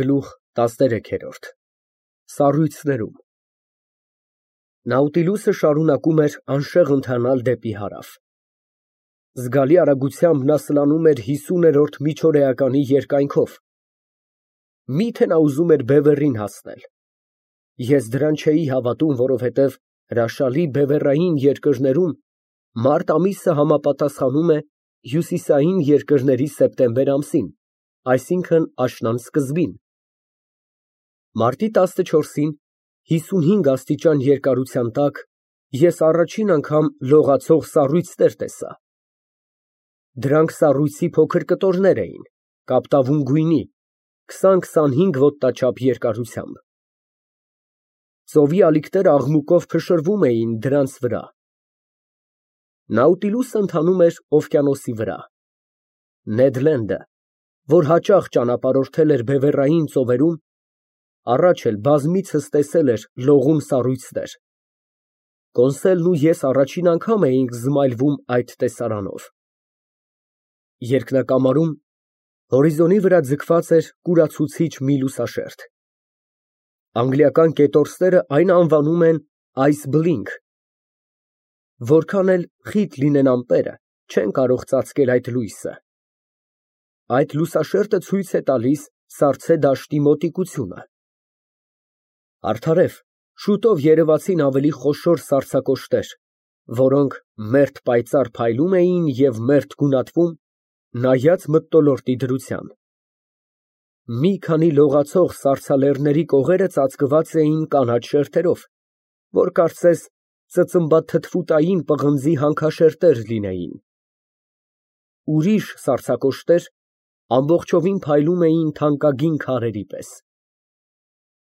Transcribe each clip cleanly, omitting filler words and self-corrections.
Գլուխ 13 Սառույցներում Նաուտիլուսը շարունակում էր անշեղ ընթանալ դեպի հարավ։ Զգալի արագությամբ նա սլանում էր 50-րդ միջօրեականի երկայնքով։ Մի՞թե նա ուզում էր Բևեռին հասնել։ Ես դրան չէի հավատում, որովհետև հրաշալի բևեռային երկրներում մարտ ամիսը համապատասխանում է հյուսիսային երկրների սեպտեմբեր ամսին, այսինքն աշնան սկզբին։ Մարտի 14-ին 55 աստիճան երկարության տակ ես առաջին անգամ լողացող սառույցներ տեսա։ Դրանք սառույցի փոքր կտորներ էին, կապտավուն գույնի, 20-25 ոտնաչափ երկարությամբ։ Ծովի ալիքները աղմուկով փշրվում էին դրանց վրա։ Նաուտիլուսը ընթանում էր օվկիանոսի վրա։ Նեդ Լենդը, որ հաճախ ճանապարհորդել էր բևեռային ծովերում, առաջ էլ բազմիցս տեսել էր լողում սառույցներ։ Կոնսելն ու ես առաջին անգամ էինք զմայլվում այդ տեսարանով։ Երկնակամարում հորիզոնի վրա ձգված էր կուրացուցիչ մի լուսաշերտ։ Անգլիական կետորսները այն անվանում են ice blink։ Որքան էլ խիտ լինեն ամպերը, չեն կարող ծածկել այդ լույսը։ Այդ լուսաշերտը ցույց է տալիս սառցե դաշտի մոտիկությունը։ Արդարև, շուտով երևացին ավելի խոշոր սառցակոշտեր, որոնք մերթ պայծառ փայլում էին և մերթ գունատվում, նայած մթնոլորտի դրության։ Մի քանի լողացող սառցալեռների կողերը ծածկված էին կանաչ շերտերով, որ կարծես ծծմբաթթվուտային պղնձի հանքաշերտեր լինեին։ Ուրիշ սառցակոշտեր ամբողջովին փայլում էին թանկագին քարերի պես։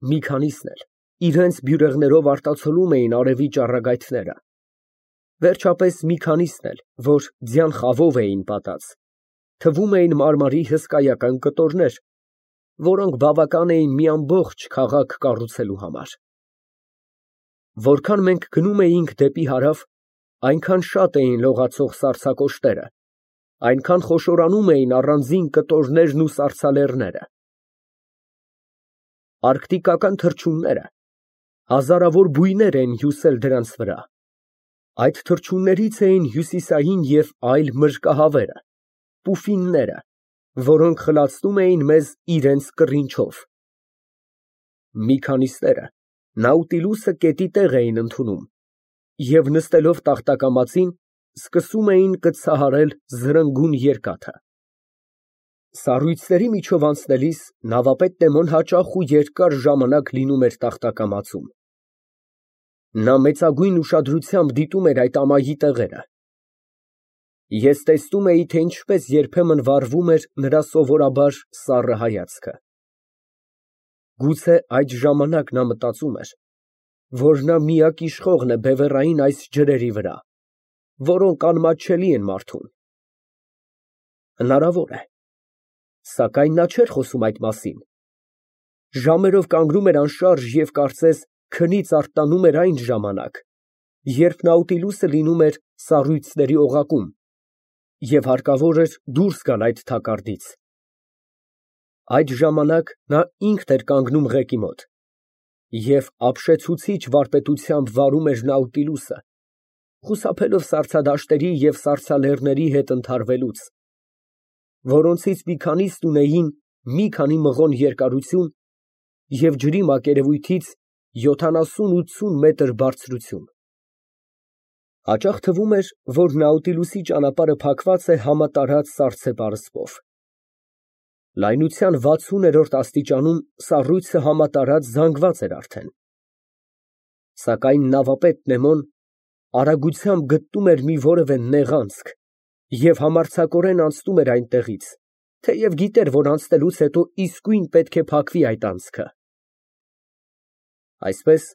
Մի քանիսն էլ իրենց բյուրեղներով արտացոլում էին արևի ճառագայթները։ Վերջապես մի քանիսն էլ, որ ձյան խավով էին պատած, թվում էին մարմարի հսկայական կտորներ, որոնք բավական էին մի ամբողջ քաղաք կառուցելու համար։ Որքան մենք գնում էինք դեպի հարավ, այնքան շատ էին լողացող սառցակոշտերը, այնքան խոշորանում էին առանձին կտորներն ու սառցալեռները։ Արկտիկական թռչունները հազարավոր բույներ են հյուսել դրանց վրա։ Այդ թռչուններից էին հյուսիսային և այլ մրրկահավերը, պուֆինները, որոնք խլացնում էին մեզ իրենց կռինչով։ Մի քանիսները Նաուտիլուսը կետի տեղ էին ընդունում և նստելով տախտակամածին սկսում էին կծցահարել զրնգուն երկաթը։ Սառույցների միջով անցնելիս նավապետ Նեմոն հաճախ ու երկար ժամանակ լինում էր տախտակամածում։ Նա մեծագույն ուշադրությամբ դիտում էր այդ ամայի տեղերը։ Ես տեսնում էի, թե ինչպես երբեմն վառվում էր նրա սովորաբար սառը հայացքը։ Գուցե այդ ժամանակ նա մտածում էր, որ նա միակ իշխողն է բևեռային այս ջրերի վրա, որոնք անմատչելի են մարդուն։ Հնարավոր է, սակայն նա չէր խոսում այդ մասին։ Ժամերով կանգնում էր անշարժ և կարծես քնից արթնանում էր այն ժամանակ, երբ Նաուտիլուսը լինում էր սառույցների օղակում, և հարկավոր էր դուրս գալ այդ թակարդից։ Այդ ժամանակ նա ինքն էր կանգնում ղեկի մոտ և ապշեցուցիչ վարպետությամբ վարում էր Նաուտիլուսը, խուսափելով սառցադաշտերի և սառցալեռների հետ ընդհարվելուց, որոնցից մի քանիսն ունեին մի քանի մղոն երկարություն և ջրի մակերևույթից 70-80 մետր բարձրություն։ Հաճախ թվում էր, որ Նաուտիլուսի ճանապարհը փակված է համատարած սառցե պարսպով։ Լայնության 60-րդ աստիճանում սառույցը համատարած զանգված էր արդեն։ Սակայն նավապետ Նեմոն արագությամբ գտնում էր մի որևէ նեղ անցք և համարձակորեն անցնում էր այնտեղից, թեև գիտեր, որ անցնելուց հետո իսկույն պետք է փակվի այդ անցքը։ Այսպես,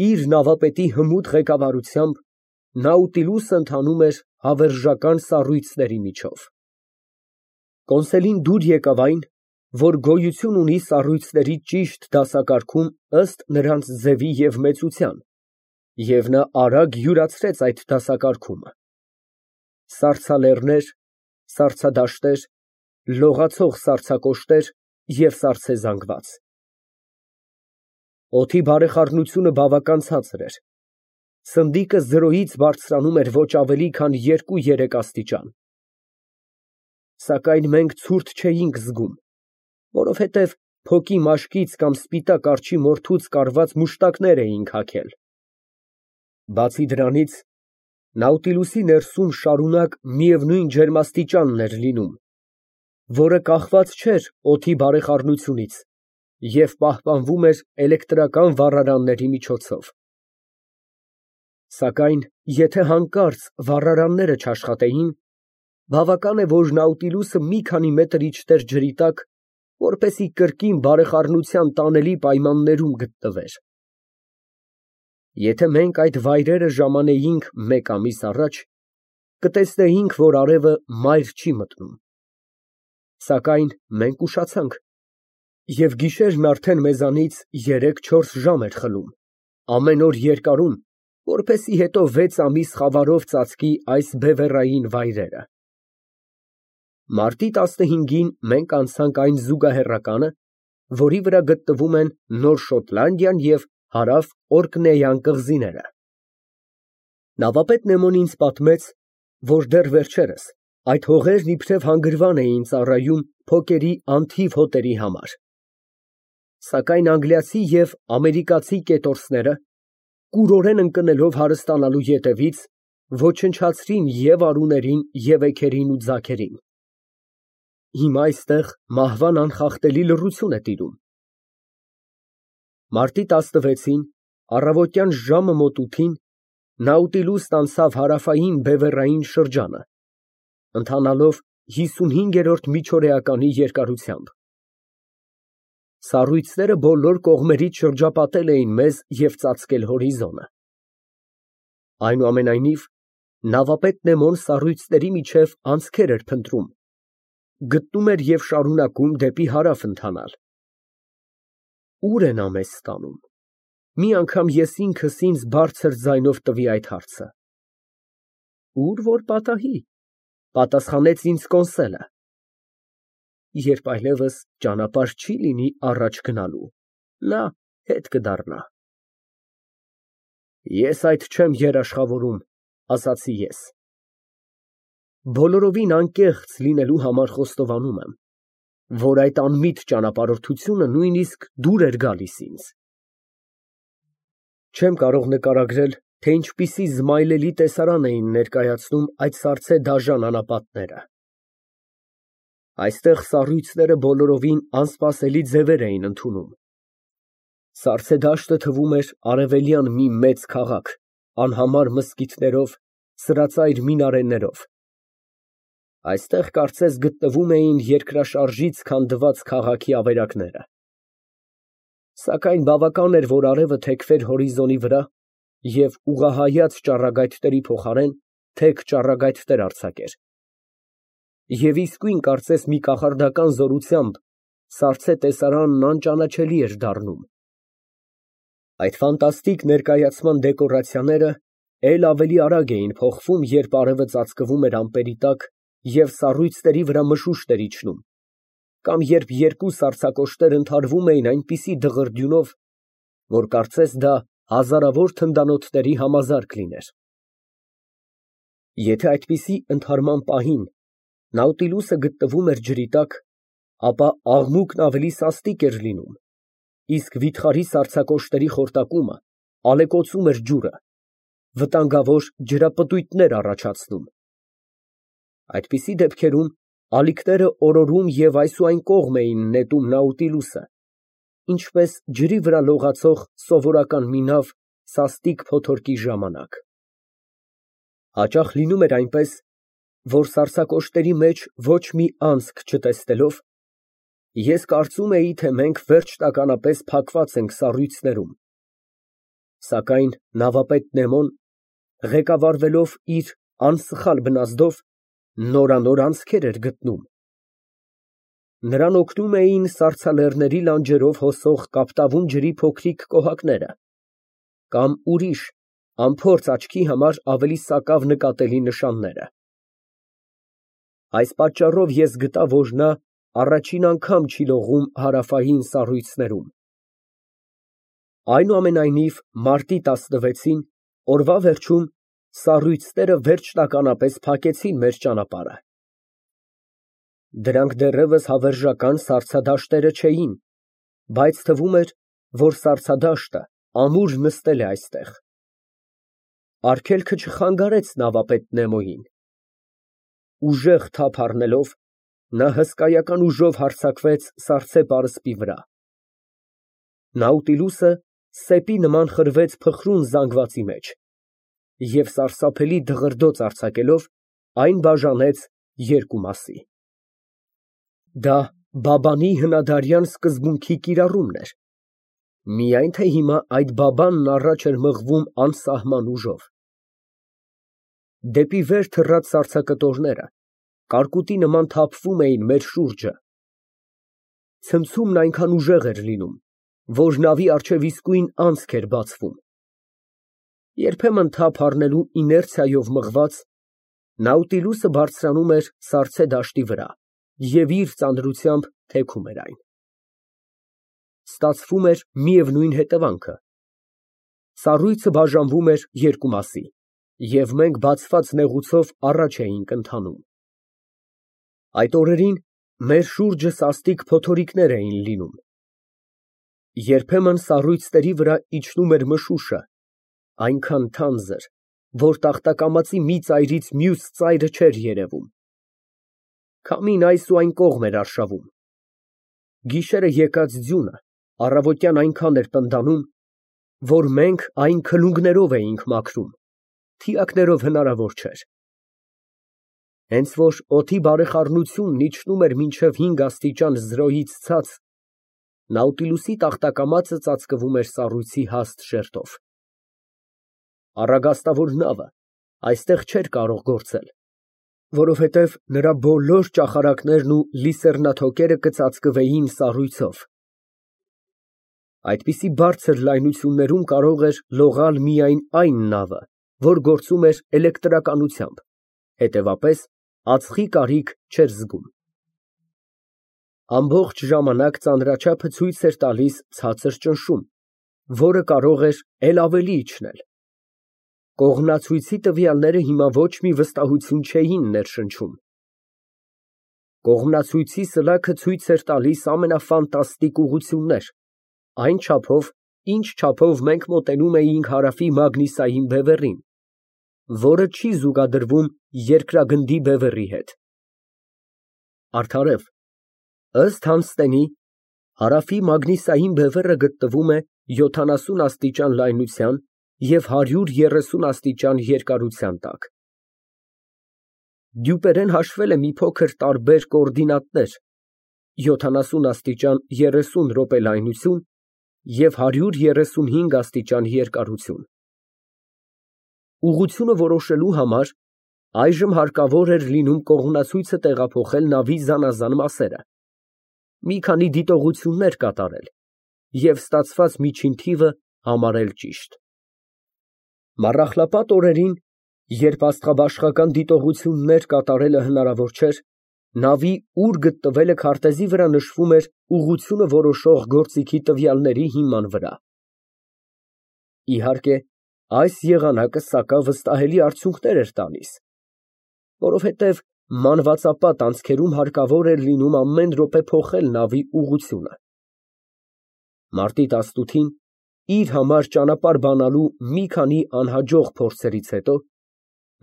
իր նավապետի հմուտ ղեկավարությամբ Նաուտիլուսը ընթանում էր հավերժական սառույցների միջով։ Կոնսելին դուր եկավ այն, որ գոյություն ունի սառույցների ճիշտ դասակարգում ըստ նրանց ձևի և մեծության, և նա արագ յուրացրեց այդ դասակարգումը։ Սառցալեռներ, սառցադաշտեր, լողացող սառցակոշտեր և սառցե զանգված։ Օդի բարեխառնությունը բավական ցածր էր։ Սնդիկը 0-ից բարձրանում էր ոչ ավելի քան 2-3 աստիճան։ Սակայն մենք ցուրտ չէինք զգում, որովհետև փոքի մաշկից կամ սպիտակ արջի մորթուց կարված մուշտակներ էինք հագել։ Բացի դրանից, Նաուտիլուսի ներսում շարունակ միևնույն ջերմաստիճանն էր լինում, որը կախված չէր օդի բարեխառնությունից և պահպանվում էր էլեկտրական վառարանների միջոցով։ Սակայն եթե հանկարծ վառարանները չաշխատեին, բավական է, որ Նաուտիլուսը մի քանի մետր իջներ ջրի տակ, որպեսզի կրկին բարեխառնության տանելի պայմաններում գտնվեր։ Եթե մենք այդ վայրերը ժամանեինք մեկ ամիս առաջ, կտեսնեինք, որ արևը մայր չի մտնում։ Սակայն մենք ուշացանք, և գիշերն արդեն մեզանից 3-4 ժամ էր խլում, ամեն օր երկարում, որպեսզի հետո 6 ամիս խավարով ծածկի այս բևեռային վայրերը։ Մարտի 15-ին մենք անցանք այն զուգահեռականը, որի վրա գտնվում են Նոր Շոտլանդիան և Հարավ Օրկնեյան կղզիները։ Նավապետ Նեմոն ինձ պատմեց, որ դեռ վերջերս այդ հողերն իբրև հանգրվան էին ծառայում փոկերի անթիվ հոտերի համար։ Սակայն անգլիացի և ամերիկացի կետորսները, կուրորեն ընկնելով հարստանալու ետևից, ոչնչացրին և արուներին, և էգերին ու ձագերին։ Հիմա այստեղ մահվան անխախտելի լռություն է տիրում։ Մարտի 16-ին, առավոտյան ժամը մոտ 8-ին, Նաուտիլուսն անցավ հարավային բևեռային շրջանը, ընթանալով 55-րդ միջօրեականի երկարությամբ։ Սառույցները բոլոր կողմերից շրջապատել էին մեզ և ծածկել հորիզոնը։ Այնուամենայնիվ, նավապետ Նեմոն սառույցների միջև անցքեր էր փնտրում, գտնում էր և շարունակում դեպի հարավ ընթանալ։ Ո՞ւր է նա մեզ տանում։ Մի անգամ ես ինքս ինձ բարձր ձայնով տվի այդ հարցը։ Ուր որ պատահի, պատասխանեց ինձ կոնսելը։ Երբ այլևս ճանապարհ չի լինի առաջ գնալու, նա հետ կդառնա։ Ես այդ չեմ երաշխավորում, ասացի ես։ Բոլորովին անկեղծ լինելու համար խոստովանում եմ, որ այդ անմիտ ճանապարհորդությունը նույնիսկ դուր էր գալիս ինձ։ Չեմ կարող նկարագրել, թե ինչպիսի զմայլելի տեսարան էին ներկայացնում այդ սառցե դաժան անապատները։ Այստեղ սառույցները բոլորովին անսպասելի ձևեր էին ընդունում։ Սառցե դաշտը թվում էր արևելյան մի մեծ քաղաք, անհամար մզկիթներով, սրածայր մինարեներով։ Այստեղ կարծես գտնվում էին երկրաշարժից քանդված քաղաքի ավերակները։ Սակայն բավական էր, որ արևը թեքվեր հորիզոնի վրա, և ուղղահայաց ճառագայթների փոխարեն թեք ճառագայթներ արձակեր։ Եվ իսկույն կարծես մի կախարդական զորությամբ սառցե տեսարանն անճանաչելի էր դառնում։ Այդ ֆանտաստիկ ներկայացման դեկորացիաները էլ ավելի արագ էին փոխվում, երբ արևը ծածկվում էր ամպերի տակ և սառույցների վրա մշուշ էր իջնում, կամ երբ երկու սառցակոշտեր ընդհարվում էին այնպիսի դղրդյունով, որ կարծես դա հազարավոր թնդանոթների համազարկ լիներ։ Եթե այդպիսի ընդհարման պահին Նաուտիլուսը գտնվում էր ջրի տակ, ապա աղմուկն ավելի սաստիկ էր լինում, իսկ վիթխարի սառցակոշտերի խորտակումը ալեկոծում էր ջուրը, վտանգավոր ջրապտույտներ առաջացնում։ Այդպիսի դեպքերում ալիքները օրորում և այս ու այն կողմ էին նետում Նաուտիլուսը, ինչպես ջրի վրա լողացող սովորական մի նավ սաստիկ փոթորկի ժամանակ։ Հաճախ լինում էր այնպես, որ սառցակոշտերի մեջ ոչ մի անցք չտեսնելով, ես կարծում էի, թե մենք վերջնականապես փակված ենք սառույցներում։ Սակայն նավապետ Նեմոն, ղեկավարվելով իր անսխալ բնազդով, նորանոր անցքեր էր գտնում։ Նրան օգնում էին սառցալեռների լանջերով հոսող կապտավուն ջրի փոքրիկ կոհակները, կամ ուրիշ, անփորձ աչքի համար ավելի սակավ նկատելի նշանները։ Այս պատճառով ես գտա, որ նա առաջին անգամ չի լողում հարավային սառույցներում։ Այնուամենայնիվ, մարտի 16-ին, օրվա վերջում, սառույցները վերջնականապես փակեցին մեր ճանապարհը։ Դրանք դեռևս հավերժական սառցադաշտերը չէին, բայց թվում էր, որ սառցադաշտը ամուր նստել է այստեղ։ Արգելքը չխանգարեց նավապետ Նեմոյին։ Ուժեղ թափ առնելով, նա հսկայական ուժով հարձակվեց սառցե պարսպի վրա։ Նաուտիլուսը սեպի նման խրվեց փխրուն զանգվածի մեջ և սարսափելի դղրդոց արձակելով, այն բաժանեց երկու մասի։ Դա Բաբանի հնադարյան սկզբունքի կիրառումն էր, միայն թե հիմա այդ Բաբանն առաջ էր մղվում անսահման ուժով։ Դեպի վեր թռած սառցակտորները կարկուտի նման թափվում էին մեր շուրջը։ Ցնցումն այնքան ուժեղ էր լինում, որ նավի առջև իսկույն անցք էր բացվում։ Երբեմն թափ առնելու իներցիայով մղված, Նաուտիլուսը բարձրանում էր սառցե դաշտի վրա և իր ծանրությամբ թեքում էր այն։ Ստացվում էր միևնույն հետևանքը։ Սառույցը բաժանվում էր երկու մասի, և մենք բացված նեղուցով առաջ էինք ընթանում։ Այդ օրերին մեր շուրջը սաստիկ փոթորիկներ էին լինում։ Երբեմն սառույցների վրա իջնում էր մշուշը, այնքան թանձր, որ տախտակամածի մի ծայրից մյուս ծայրը չէր երևում։ Քամին այս ու այն կողմ էր արշավում։ Գիշերը եկած ձյունը առավոտյան այնքան էր տնդանում, որ մենք այն քլունգներով էինք մաքրում, թիակներով հնարավոր չէր։ Հենց որ օդի բարեխառնությունն իջնում էր մինչև 5 աստիճան զրոյից ցած, Նաուտիլուսի տախտակամածը ծածկվում էր սառույցի հաստ շերտով։ Առագաստավոր նավը այստեղ չէր կարող գործել, որովհետև նրա բոլոր ճախարակներն ու լիսեռնաթոկերը կծածկվեին սառույցով։ Այդպիսի բարձր լայնություններում կարող էր լողալ միայն այն նավը, որ գործում էր էլեկտրականությամբ, հետևապես ածխի կարիք չէր զգում։ Ամբողջ ժամանակ ծանրաչափը ցույց էր տալիս ցածր ճնշում, որը կարող էր էլ ավելի իջնել։ Կողմնացույցի տվյալները հիմա ոչ մի վստահություն չէին ներշնչում։ Կողմնացույցի սլաքը ցույց էր տալիս ամենաֆանտաստիկ ուղղություններ, այն չափով, ինչ չափով մենք մոտենում էինք հարավի Մագնիսային բևեռին, որը չի զուգադրվում երկրագնդի բևեռի հետ։ Արդարև, ըստ Հանստենի, հարավի Մագնիսային բևեռը գտնվում է 70 աստիճան լայնության և 130 աստիճան երկարության տակ։ Դյուպերեն հաշվել է մի փոքր տարբեր կոորդինատներ՝ 70 աստիճան 30 րոպե լայնություն և 135 աստիճան երկարություն։ Ուղղությունը որոշելու համար այժմ հարկավոր էր լինում կողմնացույցը տեղափոխել նավի զանազան մասերը, մի քանի դիտողություններ կատարել և ստացված միջին թիվը համարել ճիշտ։ Մառախլապատ օրերին, երբ աստղաբաշխական դիտողություններ կատարելը հնարավոր չէր, նավի ուր գտնվելը քարտեզի վրա նշվում էր ուղղությունը որոշող գործիքի տվյալների հիման վրա։ Իհարկե, այս եղանակը սակավստահելի արդյունքներ էր տալիս, որովհետև մանվածապատ անցքերում հարկավոր էր լինում ամեն րոպե փոխել նավի ուղղությունը։ Մարտի 18-ին, իր համար ճանապարհ բանալու մի քանի անհաջող փորձերից հետո,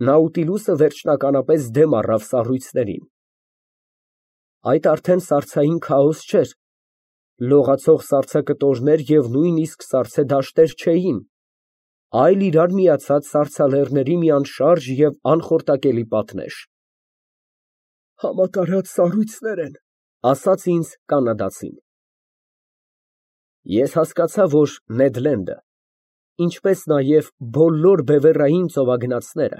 Նաուտիլուսը վերջնականապես դեմ առավ սառույցներին։ Այդ արդեն սառցային քաոս չէր, լողացող սառցակտորներ և նույնիսկ սառցե դաշտեր չէին, այլ իրար միացած սառցալեռների մի անշարժ և անխորտակելի պատնեշ։ «Համատարած սառույցներ են», ասաց ինձ կանադացին։ Ես հասկացա, որ Նեդ Լենդը, ինչպես նաև բոլոր բևեռային ծովագնացները,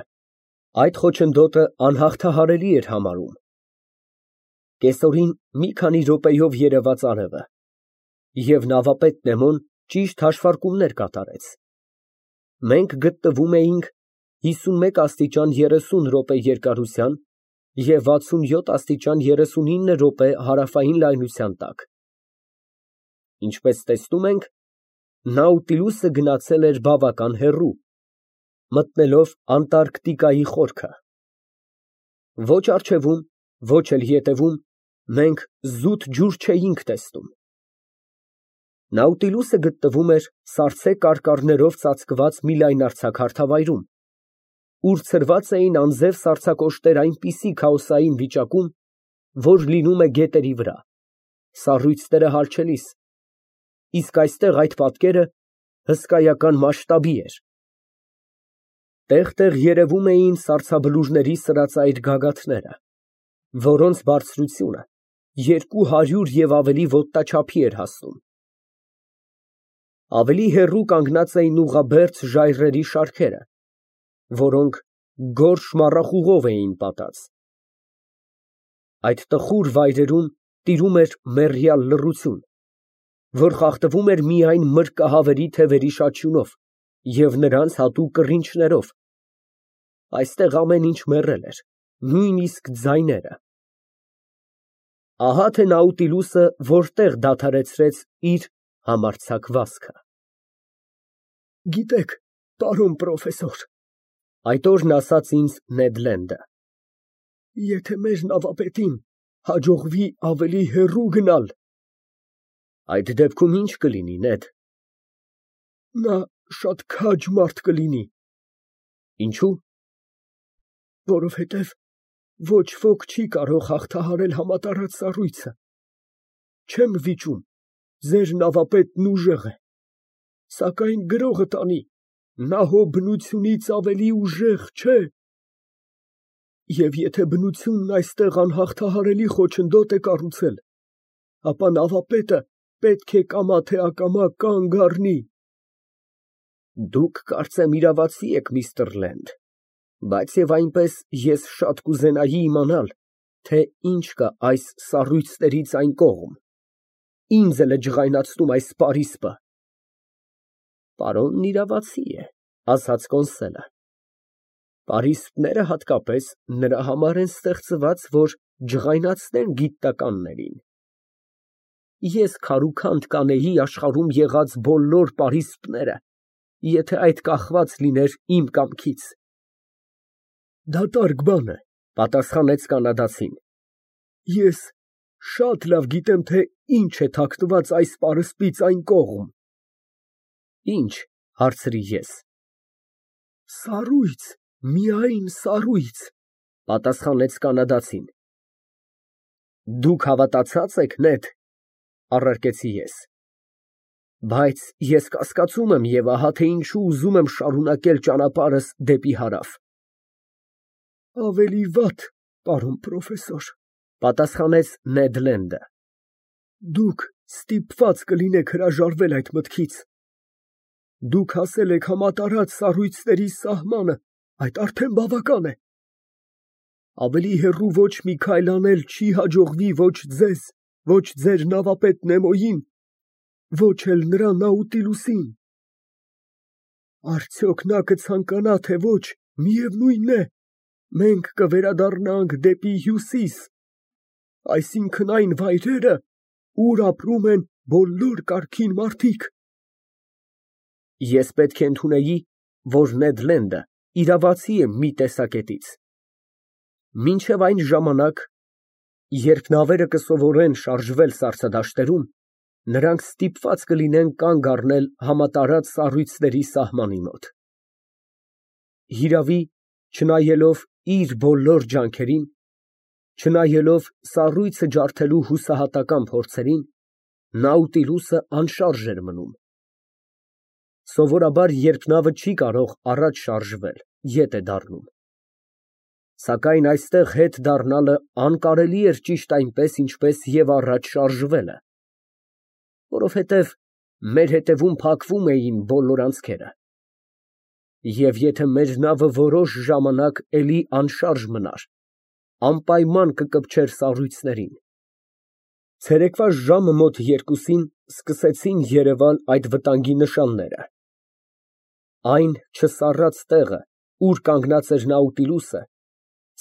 այդ խոչընդոտը անհաղթահարելի էր համարում։ Կեսօրին մի քանի րոպեով երևաց արևը, և նավապետ Նեմոն ճիշտ հաշվարկումներ կատարեց։ Մենք գտնվում էինք 51 աստիճան 30 րոպե երկարության և 67 աստիճան 39 րոպե հարավային լայնության տակ։ Ինչպես տեսնում ենք, Նաուտիլուսը գնացել էր բավական հեռու, մտնելով Անտարկտիկայի խորքը։ Ոչ առջևում, ոչ էլ ետևում մենք զուտ ջուր չէինք տեսնում։ Նաուտիլուսը գտնվում էր սառցե կարկառներով ծածկված մի լայնարձակ հարթավայրում, ուր ցրված էին անձև սառցակոշտեր այնպիսի քաոսային վիճակում, որ լինում է գետերի վրա, սառույցները հալչելիս, իսկ այստեղ այդ պատկերը հսկայական մասշտաբի էր։ Տեղ֊տեղ երևում էին սառցաբլուրների սրածայր գագաթները, որոնց բարձրությունը 200 և ավելի ոտնաչափի էր հասնում։ Ավելի հեռու կանգնած էին ուղղաբերձ ժայռերի շարքերը, որոնք գորշ մառախուղով էին պատած։ Այդ տխուր վայրերում տիրում էր մեռյալ լռություն, որ խախտվում էր միայն մրրկահավերի թևերի շաչյունով և նրանց հատուկ կռինչներով։ Այստեղ ամեն ինչ մեռել էր, նույնիսկ ձայները։ Ահա թե Նաուտիլուսը որտեղ դադարեցրեց իր համարձակ վազքը։ Գիտեք, պարոն պրոֆեսոր, այդ օրն ասաց ինձ Նեդ Լենդը, եթե մեր նավապետին հաջողվի ավելի հեռու գնալ… Այդ դեպքում ի՞նչ կլինի, Նեդ։ Նա շատ քաջ մարդ կլինի։ Ինչո՞ւ։ Որովհետև ոչ ոք չի կարող հաղթահարել համատարած սառույցը։ Չեմ վիճում, ձեր նավապետն ուժեղ է, սակայն գրողը տանի, նա հո բնությունից ավելի ուժեղ չէ։ Եվ եթե բնությունն այստեղ անհաղթահարելի խոչընդոտ է կառուցել, ապա նավապետը պետք է կամա թե ակամա կանգ առնի։ Դուք կարծեմ իրավացի եք, միստր Լենդ, բայց և այնպես ես շատ կուզենայի իմանալ, թե ինչ կա այս սառույցներից այն կողմ, ինձ էլ է ջղայնացնում այս պարիսպը։ Պարոնն իրավացի է, ասաց կոնսոլը, պարիսպները հատկապես նրա համար են ստեղծված, որ ջղայնացնեն գիտնականներին։ Ես քարուքանդ կանեի աշխարհում եղած բոլոր պարիսպները, եթե այդ կախված լիներ իմ կամքից։ Դատարկ բան է, պատասխանեց կանադացին։ Ես շատ լավ գիտեմ, թե ինչ է թաքնված այս պարսպից այն կողմ։ Ինչ, հարցրի ես։ Սառույց, միայն սառույց, պատասխանեց կանադացին։ Դուք հավատացած եք, Նեդ, առարկեցի ես։ Բայց ես կասկածում եմ և ահա թե ինչու ուզում եմ շարունակել ճանապարհս դեպի հարավ։ Ավելի վատ, պարոն պրոֆեսոր, պատասխանեց Նեդ Լենդը։ Դուք ստիպված կլինեք հրաժարվել այդ մտքից։ Դուք հասել եք համատարած սառույցների սահմանը, այդ արդեն բավական է։ Ավելի հեռու ոչ մի քայլ անել չի հաջողվի ոչ ձեզ, ոչ ձեր նավապետ Նեմոյին, ոչ էլ նրա Նաուտիլուսին։ Արդյոք նա կցանկանա, թե ոչ, միևնույն է, մենք կվերադառնանք դեպի հյուսիս, այսինքն այն վայրերը, ուր ապրում են բոլոր կարգին մարդիկ։ Ես պետք է ընդունեի, որ Նեդ Լենդը իրավացի է մի տեսակետից։ Մինչև այն ժամանակ, երբ նավերը կսովորեն շարժվել սառցադաշտերում, նրանք ստիպված կլինեն կանգ առնել համատարած սառույցների սահմանի մոտ։ Հիրավի, չնայելով իր բոլոր ջանքերին, չնայելով սառույցը ջարդելու հուսահատական փորձերին, Նաուտիլուսը անշարժ էր մնում։ Սովորաբար, երբ նավը չի կարող առաջ շարժվել, ետ է դառնում։ Սակայն այստեղ հետ դառնալը անկարելի էր ճիշտ այնպես, ինչպես և առաջ շարժվելը, որովհետև մեր հետևում փակվում էին բոլոր անցքերը։ Եվ եթե մեր նավը որոշ ժամանակ էլի անշարժ մնար, անպայման կկպչեր սառույցներին։ Ցերեկվա ժամը մոտ 2-ին սկսեցին երևալ այդ վտանգի նշանները։ Այն չսառած տեղը, ուր կանգնած էր Նաուտիլուսը,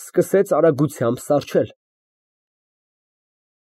Սկսեց արագությամբ սառչել։